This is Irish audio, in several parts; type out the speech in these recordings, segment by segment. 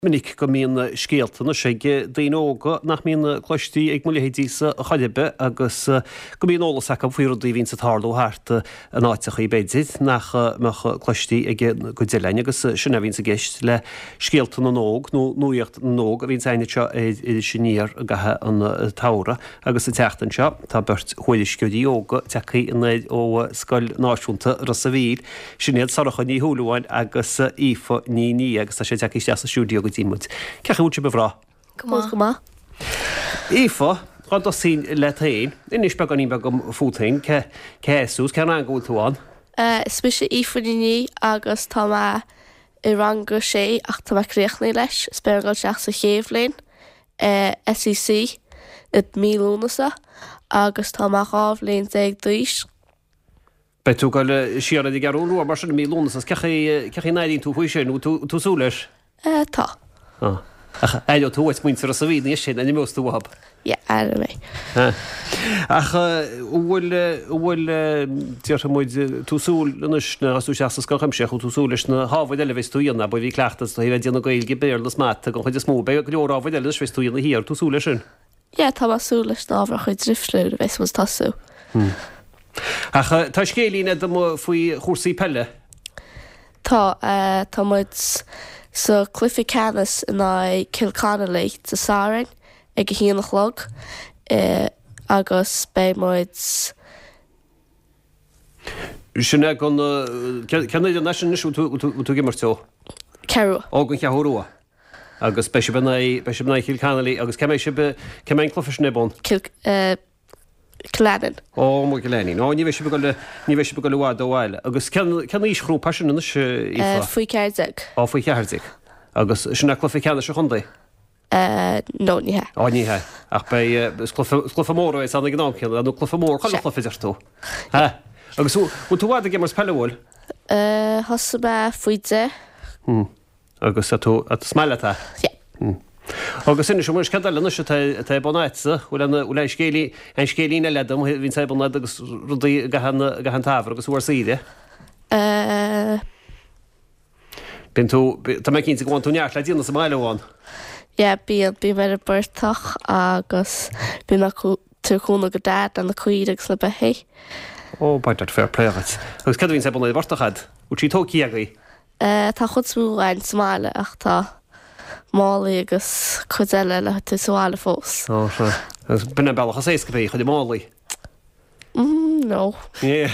Minic go mbíonn scéalta anois ag daoine óga nach mbíonn cloistí ag mo leithéidísa chor ar bith agus go mbíonn eolas acu faoi rudaí a bhíonns ag tarlú thart in áiteachaí b'fhéidir nach mbeadh cloistí ag an gcuid eile againn agus sin é a bhíonns i gceist le Scéalta na nÓg nó Nuaíocht na nÓg a bhíonns againn anseo ar Iris Aniar i gcaitheamh an tsamhraidh. Agus an tseachtain seo tá beirt thuairisceoirí óga tagtha anoir ó Scoil Náisiúnta Ros a' Mhíl. Sin iad Sorcha Ní Shúilleabháin agus Aoife Ní Nia agus tá siad tagtha isteach sa stiúideo go dtí muid. Cén chaoi a bhfuil sibh a mhná? Go maith. Go maith. Aoife, dhá dtosóinn leat féin, inis beagáinín beag dom fút féin, cé as thú, cén rang a bhfuil tú ann? Is mise Aoife Ní Nia agus tá mé i rang a sé ach tá mé críochnaithe leis, is beidh mé ag dul isteach sa chéad bhliain. SEC i mí Lúnasa agus tá mé 12 bhliain d'aois. Beidh tú ag dul siar ar an gCeathrú Rua mar sin i mí Lúnasa. Cén chaoi a n-airíonn tú faoi sin? Bhfuil tú ag súil leis? Tá. Ach aireoidh tú uait muintir Ros a' Mhíl ina dhiaidh sin, an imeos tú uathub? Yeah, aireoidh mé. Ach an bhfuil, an bhfuil, déarfaidh muid, tú ag súil anois nuair a ghabhfas tú isteach sa scoil chuimsitheach, an bhfuil tú ag súil leis na hábhair eile a bheas tú a dhéanamh, abair bhí cleachtadh agat ó thaobh bheith ag déanamh Gaeilge, Béarla is Mata den chuid is mó, beidh go leor ábhair eile anois a bheas tú a dhéanamh thiar, tú ag súil leis sin? Yeah, tá mé ag súil leis na ábhair chuid difriúil a bheas muid ag tosú. Ach tá scéilín agam faoi chúrsaí peile. Tá, tá muid sa cluiche ceannais in aghaidh Cill Connolly Dé Sathairn ag a haon a chlog agus beidh muid. Sin é don, cén fhoireann é sin anois a bhfuil tú ag imirt ó? Ceathrú Rua. Ó, don Cheathrú Rua. Agus beidh sibh in aghaidh, beidh sibh in aghaidh Chill Connolly agus cá mbeidh sibh, cá mbeidh an cluiche sin ar bun? Cill, Cill Ainnín. Ó, mo Chill Ainnín. Ó, ní bheidh sibh ag dul, ní bheidh sibh ag dul i bhfad ó bhaile. Agus cén, cén aoisghrúpa é sin anois, Aoife? Faoi 14. Ó, faoi 14. Agus sin é cluiche ceannais an chontae? No, ní hea. Ó, ní hea. Ach beidh, is cluiche, is cluiche mór a bheas ann ag an am céanna, nó cluiche mór, chuile chluiche a deir tú. Ha? Agus bhfuil tú i bhfad ag imirt peile, bhfuil? Thosaigh mé faoi 10. Agus tá tú, is maith leat é? Yeah. Agus inis dom anois, céard eile anois atá, atá ar bun agatsa? Bhfuil aon, bhfuil aon scéilín, aon scéilín eile agam, a bhíonns ar bun agat agus rudaí i gcaitheamh an, i gcaitheamh an tsamhraidh agus uair saoire? Eh. Bíonn tú, tá mé cinnte go bhfaigheann tú neart le déanamh sa mbaile amháin. Yeah, bíonn, bím ar an bportach agus bím ag tabhairt cúnamh go Dad le na caoirigh agus na beithígh. Oh, by dad, fair play dhuit. Agus céard a bhíonns ar bun ar an bportach a'd? Bhfuil sí tógtha agaibh? Tá chuid is mó againn sa mbaile ach tá málaí agus cuid eile le tabhairt sa bhaile fós. Ó, sea. Agus b'in an bealach is éasca b'fhéidir, chuid i málaí. No. Yeah.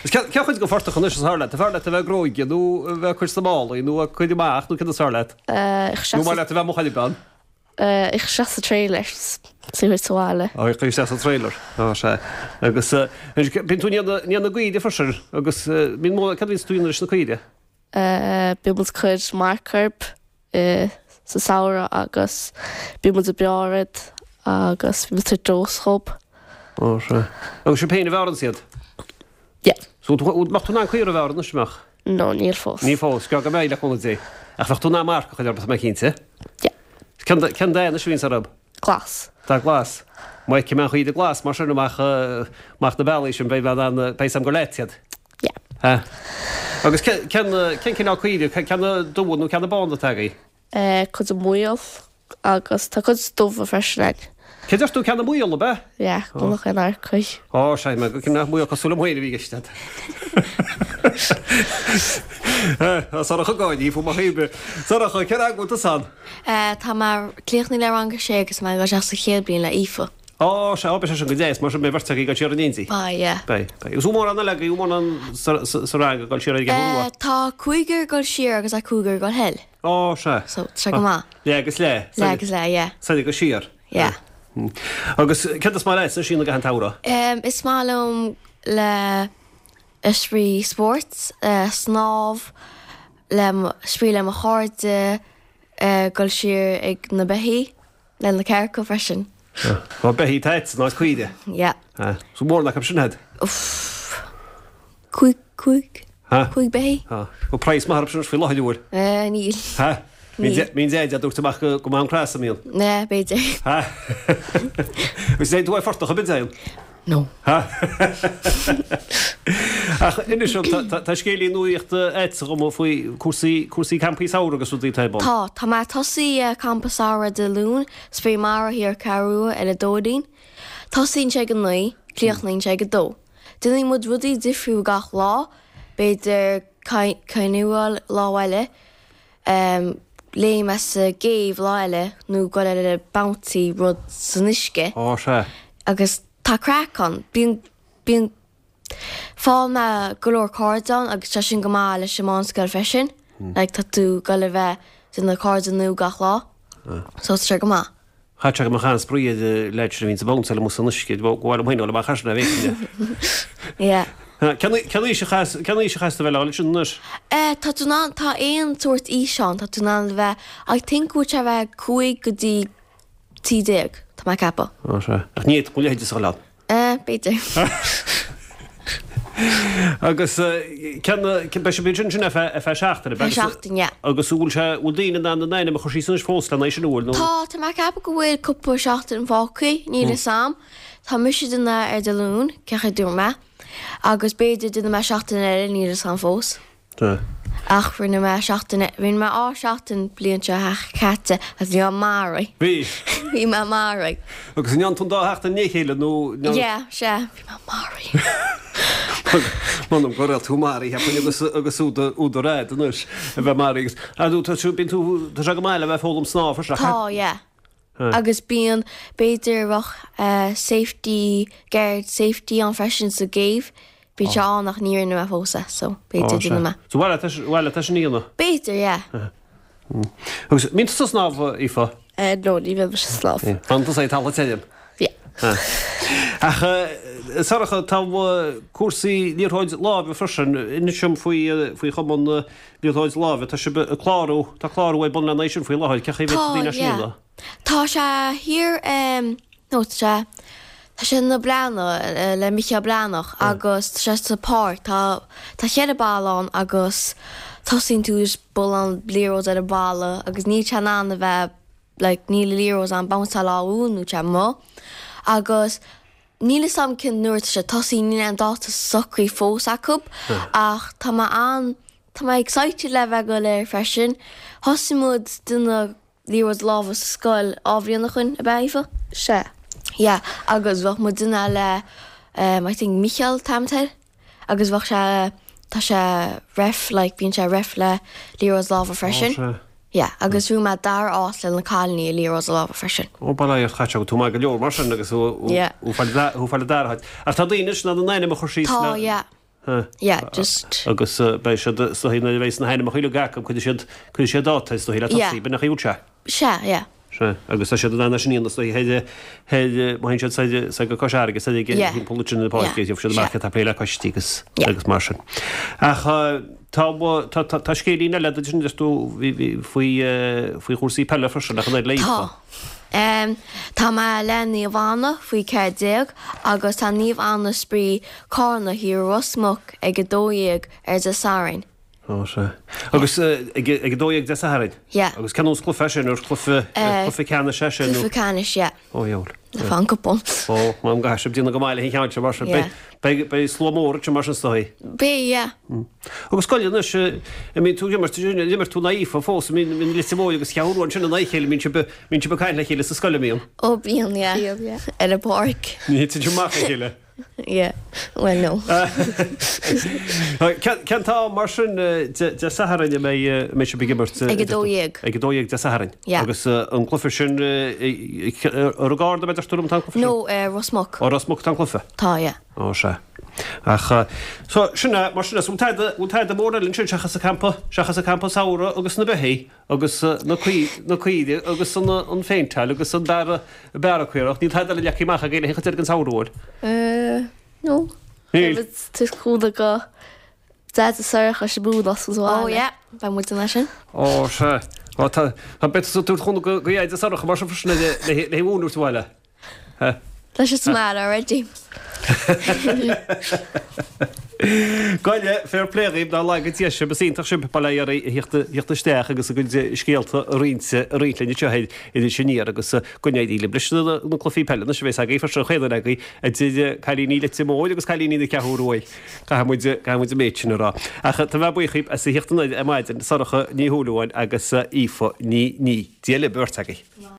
Is cén chuid den phortach anois is fearr leat? An fearr leat a bheith ag gróigeadh nó a bheith ag cur sna málaí nó ag cur amach nó céard is fearr leat? Nó maith leat a bheith amuigh ar an Ag cur isteach sa trailer is ag tabhairt sa bhaile. Ó, ag cur isteach sa trailer. Ó, sea. Agus bíonn tú ag déanamh na gcaoirigh freisin agus bíonn mó, cad a bhíonns tú ag déanamh leis na caoirigh? Bíonn muid ag cur marc orthu sa samhradh agus bíonn muid ag bearradh agus bíonn muid ag tabhairt dós dhób. Ó, sea. Agus sibh féin a bhearranns iad? Yeah. So, mbeadh tú in ann caora a bhearradh anois, an mbeadh? No, níl fós. Níl fós, go mbeidh le cúnamh Dé. Ach bheadh tú in ann marc a chur orthu, tá mé cinnte. Yeah. Cén dath anois a bhíonns orthu? Glas. Dath glas. Má fheicfidh mé an chaora glas mar sin amach amach na bealaí sin beidh mé in ann, beidh a fhios agam gur leat iad. Yeah. Ha. Agus cén cén cineál caoire, ceanna dubha nó ceanna bána atá agaibh? Cuid maol agus tá cuid dubha freisin ann. Cé deir tú ceanna maola, ab ea? Yeah, go mbeadh aon arcaí. Ó, sea, mé go cineál maol cosúil liom féin a bhí i gceist agat. Sorcha gáirí faoi mo thaobh. Sorcha, cén rang a bhfuil tusa ann? Tá mé críochnaithe le rang a sé agus mé ag dul isteach sa chéad bhliain le Aoife. Ó, sea, ó, beidh sé sin go deas, mar sin beidh beirt agaibh ag dul siar in éindí. Beidh, yeah. Beidh, beidh. Agus bhfuil mórán eile agaibh, bhfuil mórán sa rang ag dul siar ar an gCeathrú Rua? Tá cúigear ag dul siar agus tá cúigear ag dul thoir. Ó, sea. So, tá sé go maith. Leath agus leath. Leath agus leath, yeah. Soir agus siar. Yeah. Agus céard is maith leat a dhéanamh i gcaitheamh an tsamhraidh? Is maith liom le spraoi spóirt, snámh, le spraoi le mo chairde, dul siar ag na beithígh, le na cearca freisin. Tá beithígh agat ná is caoire. Yeah. So mórán acu sin agat? Uff. 5, 5, 5 beithígh. Bhfuil praghas maith orthu sin faoi láthair, an bhfuil? Níl. Ha? Bíonn Deaid á dtabhairt amach go maith an praghas a mbíonn. Yeah, b'fhéidir. Ha? Agus téann tú ar phortach an bhtéann? No. Ach inis dom, tá scéilín nuaíochta agatsa dhom faoi cúrsaí, cúrsaí campaí samhraidh agus rudaí atá ar bun. Tá. Tá mé ag tosaí campa samhraidh Dé Luain, Spraoi Mara thiar Ceathrú Rua ar an Dóirín. Tosaíonn sé ag a 9, críochnaíonn sé ag a 2. Déanfaidh muid rudaí difriúil gach lá, b'fhéidir canoeáil lá eile, léim as an gcéibh lá eile nó goil ar an bouncy rud san uisce. Ó, sea. Agus tá craic ann. Bíonn, bíonn, faigheann mé go leor cairde ann agus tá sin go maith leis an meánscoil freisin. Like tá tú goil a bheith ag déanamh cairde nua gach lá. So tá sé go maith. Chaith sé go mbeadh an-spraoi ar an leaid sin a bhíonn ag bounceáil amuigh san uisce, ba mhaith liom féin a dhul amach as sin a bhfeicfinn é. Yeah. Cén aois a chas, cén aois a chaithfeas tú bheith le dhul ansin anois? Eh, tá tú in ann, tá aon sórt aois ann, tá tú in ann a bheith, I think go bhfuil sé a bheith 5 go dtí 13, tá mé ag ceapadh. Ó sea. Ach ní fhéadfadh mo leithéidese a dhul ann. Eh, b'fhéidir. Agus cén, beidh sibh ansin sin ar feadh, ar feadh seachtaine, beidh? Feadh seachtain, yeah. Agus an bhfuil sé, bhfuil daoine in ann a n-ainm a chur síos anois fós lena aghaidh sin, an bhfuil, nó? Tá, tá mé ag ceapadh go bhfuil cúpla seachtain fágtha, níl fhios a'm. Tá mise ag déanamh ar Dé Luain, cén chaoi a dúirt mé, agus b'fhéidir déanfaidh mé seachtain eile, níl fhios a'm fós. Ach rinne mé seachtain, rinne mé dhá sheachtain bliain seo caite agus bhí mé maraithe. Bhí? Bhí mé maraithe. Agus an ndearna tú an dá sheachtain i ndiaidh a chéile nó? Yeah, sea, bhí mé maraithe. M'anam go raibh tú maraithe, cheapfainn agus agus údar údar a'd anois a bheith maraithe agus ar ndóigh tá tú bíonn tú tá sé go maith le bheith ag foghlaim snámha freisin ach Tá, yeah. Agus bíonn, b'fhéidir, bheadh safety guard safety ann freisin sa gcéibh. Bíonn sé ann ach ní rinne mé fós é so b'fhéidir déanfaidh mé. So bhfuil leat é sin a dhéanamh? B'fhéidir, yeah. Agus mbíonn tusa ag snámh, Aoife? No, ní bhíonn mise ag snámh. Fanann tusa ag talamh tirim? Yeah. Ach Sorcha, tá cúrsaí liathróid láimhe freisin. Inis dom faoi faoi chumann liathróid láimhe. Tá sibh ag clárú, tá clárú ar bun lena aghaidh sin faoi láthair. Cén chaoi a bhféadfadh daoine Tá, é sin a yeah. dhéanamh? Tá sé thiar, no, tá sé, tá sé na Bleana, le Micheál Breathnach agus tá sé sa pháirc. Tá, tá cheithre balla ann agus tosaíonn tú just bualadh an liathróid ar an bhalla agus níl sé in ann a bheith, like, níl an liathróid in ann bounceáil uainn nó sé amuigh agus níl fhios a'm cén uair tá sé ag tosaí, níl aon dáta socraithe fós acu ach tá mé an, tá mé excited le bheith ag dul air freisin. Thosaigh muid ag déanamh liathróid láimhe sa scoil dhá bhliain ó shoin, ab ea Aoife? Sea. Yeah, agus bheadh muid ag déanamh le um I think Micheál an t-ainm atá air agus bheadh sé, tá sé ref like bíonn sé ref le liathróid láimhe freisin. Ó sea. Yeah, agus bhuaigh mé dara áit le na cailíní i liathróid láimhe freisin. Ó bail ó Dhia ort, chaith sé go tú maith go leor mar sin agus thú Yeah. thú fáil thú fáil an dara háit. Ach tá daoine anois in ann a n-ainm a chur síos Tá, le yeah. Huh. Yeah, just. Agus beidh siad is dóigh nuair a bheidh na hainmneacha uilig acu cuirfidh siad cuirfidh siad dáta is dóigh le Yeah. tosaí, b'in an chaoi a bhfuil sé? Sea, yeah. Sea, agus tá siad in ann é sin a dhéanamh is dóigh thoir thoir má théann siad soir soir go Cois Fharraige soir ag Yeah. timpeall ansin ar an pháirc Yeah. gheobhaidh siad amach Sea. cé atá ag plé le coistí agus Yeah. agus mar sin. Ach tá tá tá tá scéilín eile agat ansin deir tú bhí bhí faoi faoi chúrsaí peile freisin ach an oiread le Tá. Aoife. Tá mé le Naomh Anna faoi 14 agus tá Naomh Anna ag spraoi Cárna thiar i Ros Muc ag 12 ar Dé Sathairn. Ó sea. Agus ag 12 Dé Sathairn? Yeah. Agus cén nós cluiche é sin, ar cluiche cluiche ceannais é sin? Cluiche ceannais, yeah. Ó dheabhail. Le fán cupán. Ó, m'anam go gcaithfidh sibh déanamh go maith le haghaidh an cheann seo mar sin. Yeah. Beidh beidh slua mór ansin mar sin is dóigh. Beidh, yeah. Agus scoil anois, an mbíonn tú ag imirt, ag imirt tú in aghaidh Aoife fós, an mbíonn an Leitir Móir agus Ceathrú Rua ansin in aghaidh a chéile, an mbíonn sibh, mbíonn sibh ag caint le chéile sa scoil, an mbíonn? Ó bíonn, yeah. Bíonn, yeah. Ar an bpáirc. Ní thiteann sibh amach a chéile? Yeah, well no. Cén t-am mar sin Dé Sathairn a mbeidh, a mbeidh sibh ag imirt? Ag 12. Ag 12 Dé Sathairn? Yeah. Agus an cluiche sin, ar an gCarna, a deir tú liom, tá an cluiche sin? No, Ros Muc. Ó Ros Muc tá an cluiche? Tá, yeah. Ó sea. Ach, so, sin é, mar sin é, so bhfuil tada, bhfuil tada mór eile ansin seachas an campa, seachas an campa samhraidh agus na beithígh agus na caoi, na caoirigh agus an, an phéinteáil agus an bearradh, bearradh caorach, níl tada eile leagtha amach agaibh le haghaidh an chuid eile den samhradh, bhfuil? Eh, no. Níl. Beidh muid ag tabhairt cúnamh do Dhaid is Sorcha leis an múineadh sa Ó bhaile. yeah, beidh muid in sin. Ó sea. Ó tá, tá, beidh tusa ag tabhairt cúnamh do, do Dhaid is Sorcha mar sin freisin le, le, le haghaidh múineadh sa bhaile. Tá sé san air already. Goile, fair play dhaoibh, nár laga Dia sibh, is iontach sibh, bail ó Dhia oraibh, a thíocht isteach agus a gcuid scéalta a roinnt a roinnt linn anseo ar Iris Aniar agus go n-éirí libh leis na cluichí peile anois a bheas agaibh freisin chaon duine agaibh idir cailíní Leitir Móir agus cailíní na Ceathrún Rua. Caithfidh muid, caithfidh muid an méid sin a rá. Ach tá mé buíoch dhaoibh as a thíocht anoir ar maidin, Sorcha Ní Shúilleabháin agus Aoife Ní Ní. Dia libh, beirt agaibh.